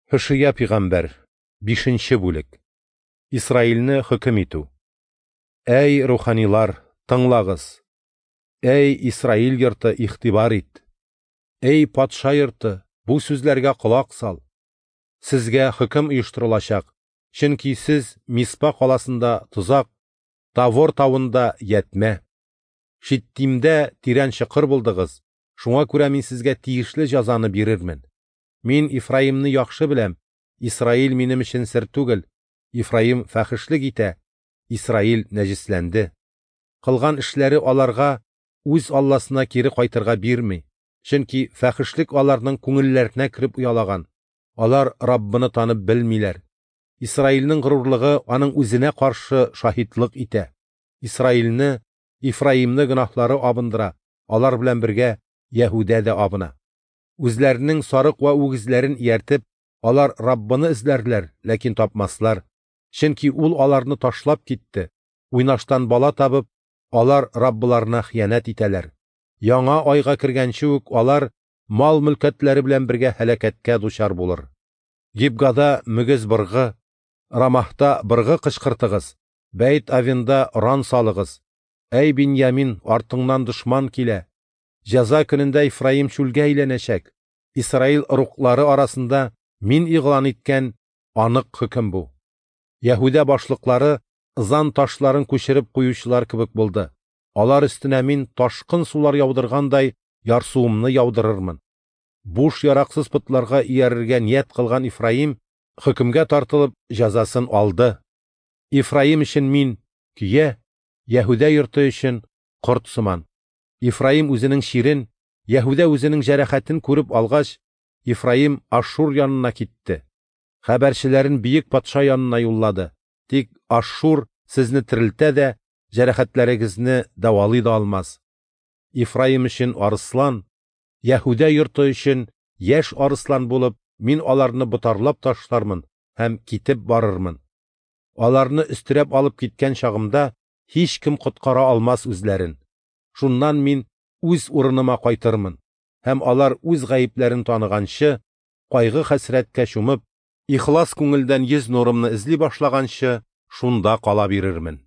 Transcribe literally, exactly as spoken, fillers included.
Һошия пигамбәр, бишенче бүлек. Исраилне хөкем итү. Әй, руханилар, тыңлагыз! Әй, Исраил йорты, игътибар ит! Әй, патша йорты, бу сүзләргә колак сал! Сезгә хөкем оештырылачак, чөнки сез Миспа каласында тозак, Тавор тавында ятмә. Шиттимдә тирән чокыр булдыгыз, шуңа күрә мин сезгә тиешле җәзаны бирермен. Мин Ифраимны яхшы беләм, Исраил минем өчен сер түгел. Ифраим фәхешлек итә, Исраил нәҗесләнде. Кылган эшләре аларга үз Алласына кире кайтырга бирми, чөнки фәхешлек аларның күңелләренә кереп оялаган. Алар Раббыны танып белмиләр. Исраилнең горурлыгы аның үзенә каршы шаһитлык итә. Исраилне, Ифраимны гөнаһлары абындыра, алар белән бергә Яһүдә дә абына. Үзләренең сарык вә үгезләрен ияртеп, алар Раббыны эзләрләр, ләкин тапмаслар. Чөнки ул аларны ташлап китте. Уйнаштан бала табып, алар Раббыларына хыянәт итәләр. Яңа айга кергәнче үк алар мал-мөлкәтләре белән бергә һәлакәткә дучар булыр. Гибгада мөгез быргы, Рамахта быргы кычкыртыгыз, Бәйт Авенда оран салыгыз. Әй, Биньямин, артыңнан дошман килә. Җәза көнендә Ифраим чүлгә әйләнәчәк. Исраил ыруглары арасында мин игълан иткән анык хөкем бу. Яһүдә башлыклары ызан ташларын күчереп куючылар кебек булды. Алар өстенә мин ташкын сулар яудыргандай ярсуымны яудырырмын. Буш яраксыз потларга иярергә ният кылган Ифраим хөкемгә тартылып җәзасын алды. Ифраим өчен мин көя, Яһүдә йорты өчен корт сыман. Ифраим үзенең чирен, Яһүдә үзенең җәрәхәтен күреп алгач, Ифраим Ашшур янына китте. Хәбәрчеләрен бөек патша янына юллады. Тик Ашшур сезне терелтә дә, җәрәхәтләрегезне дәвалый да алмас. Ифраим өчен арыслан, Яһүдә йорты өчен яшь арыслан булып, мин аларны ботарлап ташлармын һәм китеп барырмын. Аларны өстерәп алып киткән чагымда һичкем коткара алмас үзләрен. Шуннан мин үз урыныма кайтырмын, һәм алар үз гаепләрен таныганчы, кайгы-хәсрәткә чумып, ихлас күңелдән йөз нурымны эзли башлаганчы, шунда кала бирермен.